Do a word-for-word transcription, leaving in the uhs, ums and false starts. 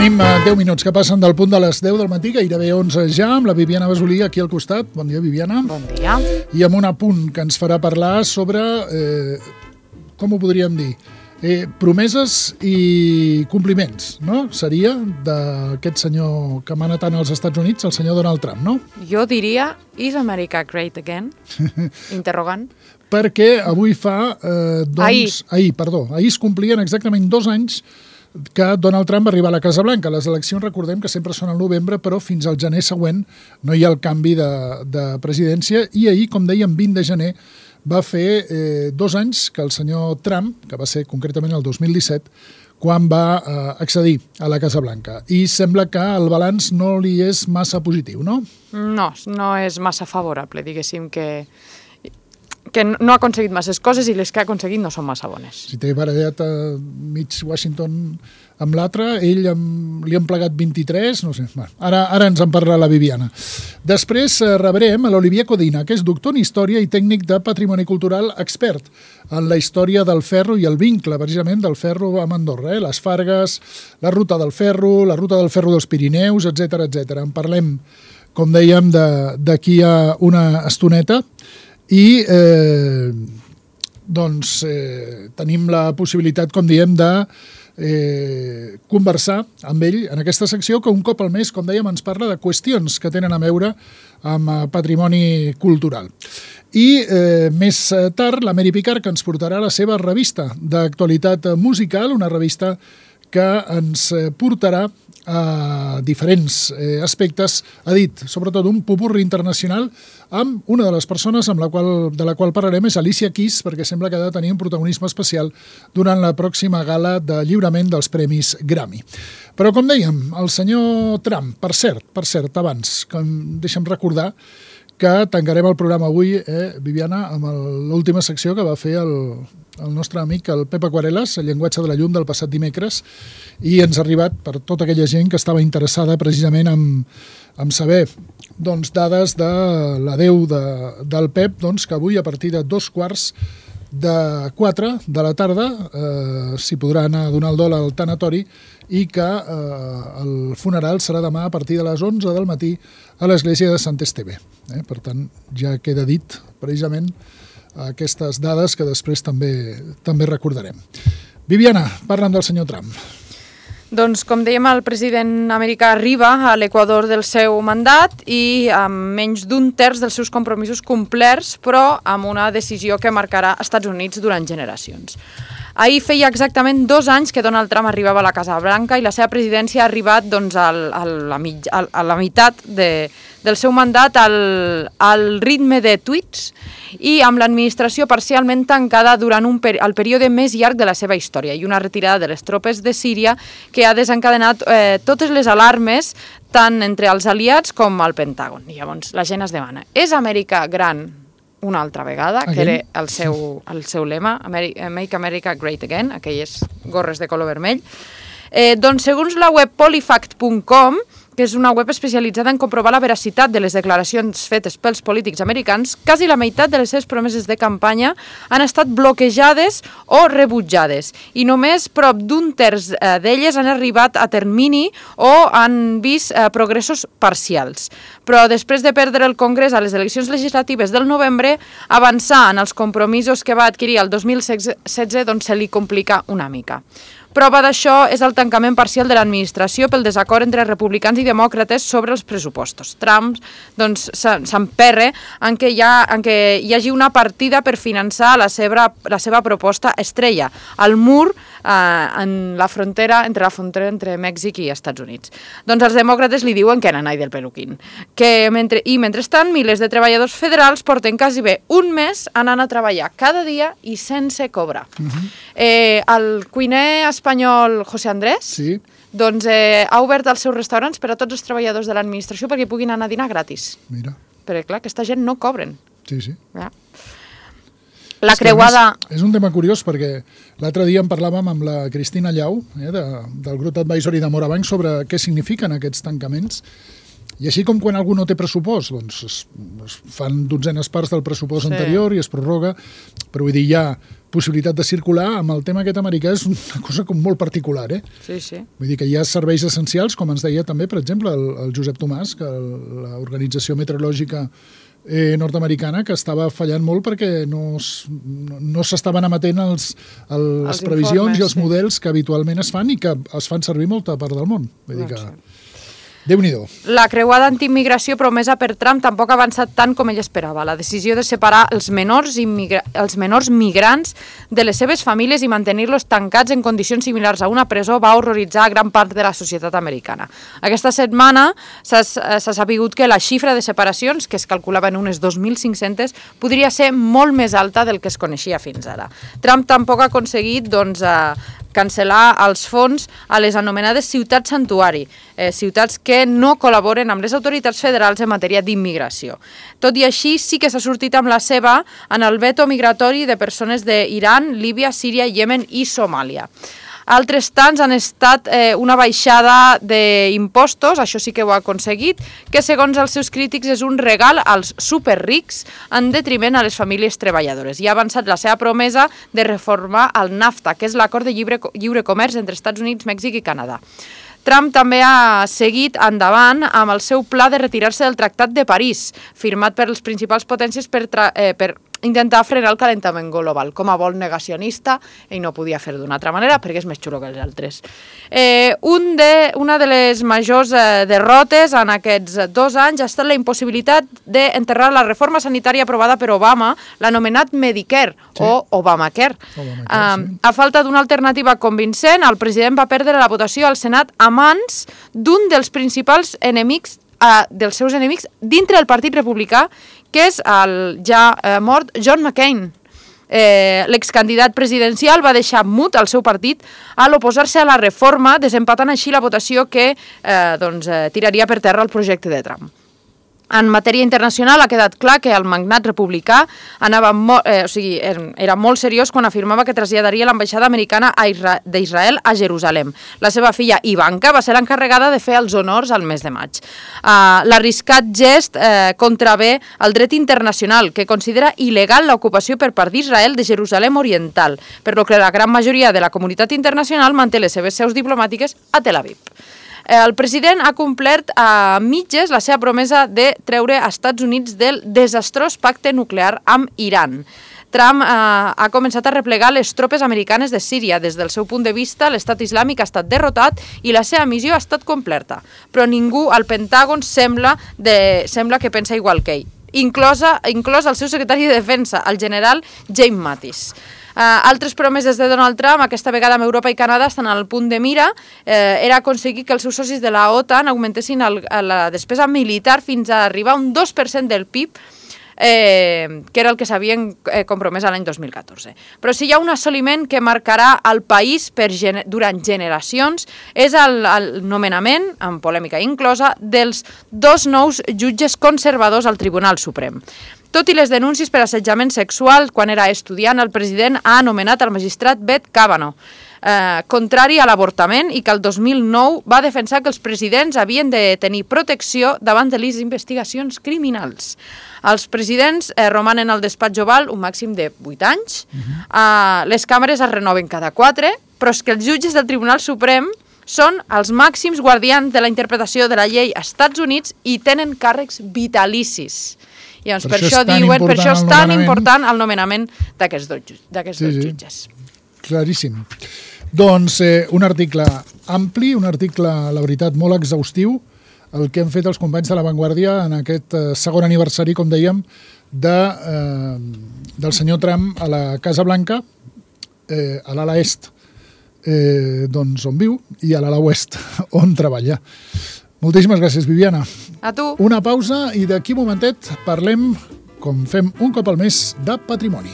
Tenim deu minuts que passen del punt de les deu del matí, gairebé onze ja, amb la Viviana Basolí aquí al costat. Bon dia, Viviana. Bon dia. I amb un apunt que ens farà parlar sobre, eh, com ho podríem dir, eh, promeses i compliments, no? Seria d'aquest senyor que mana tant als Estats Units, el senyor Donald Trump, no? Jo diria, is America great again? Interrogant. Perquè avui fa, eh, doncs... Ahir. Ahir, perdó. Ahir es complien exactament dos anys que Donald Trump va arribar a la Casa Blanca. Les eleccions, recordem que sempre són al novembre, però fins al gener següent no hi ha el canvi de, de presidència. I ahir, com dèiem, vint de gener, va fer eh, dos anys que el senyor Trump, que va ser concretament el dos mil disset, quan va eh, accedir a la Casa Blanca. I sembla que el balanç no li és massa positiu, no? No, no és massa favorable, diguéssim que... que no ha aconseguit masses coses i les que ha aconseguit no són massa bones. Si té barallat a mig Washington amb l'altre, ell amb, li han plegat vint-i-tres, no sé. Bueno, ara, ara ens en parla la Viviana. Després eh, rebrem a l'Olivier Codina, que és doctor en Història i tècnic de Patrimoni Cultural, expert en la història del ferro i el vincle, precisament, del ferro amb Andorra. Eh? Les Fargues, la ruta del ferro, la ruta del ferro dels Pirineus, etcètera, etcètera. En parlem, com dèiem, d'aquí a una estoneta. I eh, doncs eh, tenim la possibilitat, com diem, de eh, conversar amb ell en aquesta secció que un cop al mes, com dèiem, ens parla de qüestions que tenen a veure amb patrimoni cultural. I eh, més tard, la Mary Picard, que ens portarà la seva revista d'actualitat musical, una revista que ens portarà a diferents eh, aspectes, ha dit, sobretot un popurri internacional, amb una de les persones amb la qual, de la qual parlarem és Alicia Keys, perquè sembla que ha de tenir un protagonisme especial durant la pròxima gala de lliurament dels Premis Grammy. Però, com dèiem, el senyor Trump, per cert, per cert, abans, que deixa'm recordar que tancarem el programa avui, eh, Viviana, amb l'última secció que va fer el, el nostre amic, el Pep Aquarelas, el llenguatge de la llum del passat dimecres, i ens ha arribat per tota aquella gent que estava interessada precisament en, en saber doncs, dades de l'adeu de, del Pep, doncs, que avui a partir de dos quarts de quatre de la tarda eh, s'hi podrà anar a donar el dol al tanatori i que eh, el funeral serà demà a partir de les onze del matí a l'església de Sant Esteve. Eh? Per tant, ja queda dit precisament aquestes dades que després també, també recordarem. Viviana, parla'm del senyor Trump. Doncs, com dèiem, el president americà arriba a l'equador del seu mandat i amb menys d'un terç dels seus compromisos complerts, però amb una decisió que marcarà Estats Units durant generacions. Ahir feia exactament dos anys que Donald Trump arribava a la Casa Blanca i la seva presidència ha arribat doncs, al, a, la mig, a, a la meitat de, del seu mandat al, al ritme de tuits i amb l'administració parcialment tancada durant un peri el període més llarg de la seva història i una retirada de les tropes de Síria que ha desencadenat eh, totes les alarmes tant entre els aliats com al Pentàgon. I llavors la gent es demana, és Amèrica gran una altra vegada, Again? que era el seu, el seu lema, Make America Great Again, aquelles gorres de color vermell. Eh, doncs, segons la web polyfact punt com, que és una web especialitzada en comprovar la veracitat de les declaracions fetes pels polítics americans, quasi la meitat de les seves promeses de campanya han estat bloquejades o rebutjades i només prop d'un terç eh, d'elles han arribat a termini o han vist eh, progressos parcials. Però després de perdre el Congrés a les eleccions legislatives del novembre, avançar en els compromisos que va adquirir el dos mil setze doncs se li complica una mica. Prova d'això és el tancament parcial de l'administració pel desacord entre republicans i demòcrates sobre els pressupostos. Trump doncs, s'emperra en, que hi ha, en què hi hagi una partida per finançar la seva, la seva proposta estrella, el mur eh, en la frontera, entre la frontera entre Mèxic i Estats Units. Doncs els demòcrates li diuen que nanai del peluquín. Que mentre, I mentrestant, milers de treballadors federals porten quasi bé un mes anant a treballar cada dia i sense cobrar. Uh-huh. eh, el cuiner espanyol José Andrés sí. doncs, eh, ha obert els seus restaurants per a tots els treballadors de l'administració perquè puguin anar a dinar gratis. Mira. Perquè, clar, aquesta gent no cobren. Sí, sí. Ja. La creuada... Més, és un tema curiós perquè l'altre dia en parlàvem amb la Cristina Llau, eh, de, del grup Advisory de Morabanc, sobre què signifiquen aquests tancaments. I així com quan algú no té pressupost, doncs es, es fan dotzenes parts del pressupost sí. anterior i es prorroga, però vull dir, hi ha possibilitat de circular, amb el tema aquest americà és una cosa com molt particular, eh? Sí, sí. Vull dir que hi ha serveis essencials, com ens deia també, per exemple, el, el Josep Tomàs, que l'Organització Meteorològica eh, nord-americana, que estava fallant molt perquè no, no, no s'estaven emetent els, el, les Els previsions informes, i els sí. models que habitualment es fan i que es fan servir molta part del món. Vull dir que... Déu-n'hi-do. La creuada antiimmigració promesa per Trump tampoc ha avançat tant com ell esperava. La decisió de separar els menors, immigra... els menors migrants de les seves famílies i mantenir-los tancats en condicions similars a una presó va horroritzar a gran part de la societat americana. Aquesta setmana s'ha sapigut que la xifra de separacions, que es calculava en unes dos mil cinc-centes, podria ser molt més alta del que es coneixia fins ara. Trump tampoc ha aconseguit doncs, eh, cancel·lar els fons a les anomenades ciutats santuari, eh, ciutats que no col·laboren amb les autoritats federals en matèria d'immigració. Tot i així, sí que s'ha sortit amb la seva en el veto migratori de persones d'Iran, Líbia, Síria, Iemen i Somàlia. Altres tants han estat eh, una baixada d'impostos, això sí que ho ha aconseguit, que segons els seus crítics és un regal als superrics en detriment a les famílies treballadores. I ha avançat la seva promesa de reformar el NAFTA, que és l'acord de lliure, lliure comerç entre Estats Units, Mèxic i Canadà. Trump també ha seguit endavant amb el seu pla de retirar-se del Tractat de París, firmat per les principals potències per, eh, per intentar frenar el calentament global. Com a bon negacionista, ell no podia fer d'una altra manera perquè és més xulo que els altres. Eh, un de, una de les majors eh, derrotes en aquests dos anys ha estat la impossibilitat d'enterrar la reforma sanitària aprovada per Obama, l'anomenat Medicare, sí. o Obamacare. Obamacare sí. eh, a falta d'una alternativa convincent, el president va perdre la votació al Senat a mans d'un dels principals enemics Uh, dels seus enemics dintre del Partit Republicà, que és el ja uh, mort John McCain. Eh, l'excandidat presidencial va deixar mut el seu partit a l'oposar-se a la reforma, desempatant així la votació que eh, doncs, eh, tiraria per terra el projecte de Trump. En matèria internacional ha quedat clar que el magnat republicà anava molt, eh, o sigui, era molt seriós quan afirmava que traslladaria l'ambaixada americana d'Israel a Jerusalem. La seva filla Ivanka va ser l'encarregada de fer els honors al mes de maig. Uh, l'arriscat gest eh, contravé el dret internacional, que considera il·legal l'ocupació per part d'Israel de Jerusalem Oriental, per lo que la gran majoria de la comunitat internacional manté les seves seus diplomàtiques a Tel Aviv. El president ha complert a mitges la seva promesa de treure als Estats Units del desastrós pacte nuclear amb Iran. Trump eh, ha començat a replegar les tropes americanes de Síria. Des del seu punt de vista, l'estat islàmic ha estat derrotat i la seva missió ha estat completa. Però ningú al Pentàgon sembla, de, sembla que pensa igual que ell, inclosa, inclòs el seu secretari de Defensa, el general James Mattis. Uh, altres promeses de Donald Trump, aquesta vegada amb Europa i Canadà, estan al punt de mira, eh, era aconseguir que els seus socis de la OTAN augmentessin el, la despesa militar fins a arribar a un dos per cent del P I B, eh, que era el que s'havien eh, compromès l'any dos mil catorze. Però si hi ha un assoliment que marcarà el país per gener durant generacions és el, el nomenament, amb polèmica inclosa, dels dos nous jutges conservadors al Tribunal Suprem. Tot i les denúncies per assetjament sexual, quan era estudiant, el president ha anomenat el magistrat Brett Kavanaugh, eh, contrari a l'avortament, i que el dos mil nou va defensar que els presidents havien de tenir protecció davant de les investigacions criminals. Els presidents eh, romanen al despatx oval un màxim de vuit anys, uh-huh. eh, les càmeres es renoven cada quatre, però és que els jutges del Tribunal Suprem són els màxims guardians de la interpretació de la llei als Estats Units i tenen càrrecs vitalicis. I doncs per, per això, això diuen, per això és tan important el nomenament d'aquests dos, d'aquests sí, dos jutges. Sí. Claríssim. Doncs eh, un article ampli, un article, la veritat, molt exhaustiu, el que han fet els companys de La Vanguardia en aquest eh, segon aniversari, com dèiem, de, eh, del senyor Trump a la Casa Blanca, eh, a l'ala est, eh, doncs on viu, i a l'ala oest, on treballa. Moltíssimes gràcies, Viviana. A tu. Una pausa i d'aquí un momentet parlem, com fem un cop al mes, de patrimoni.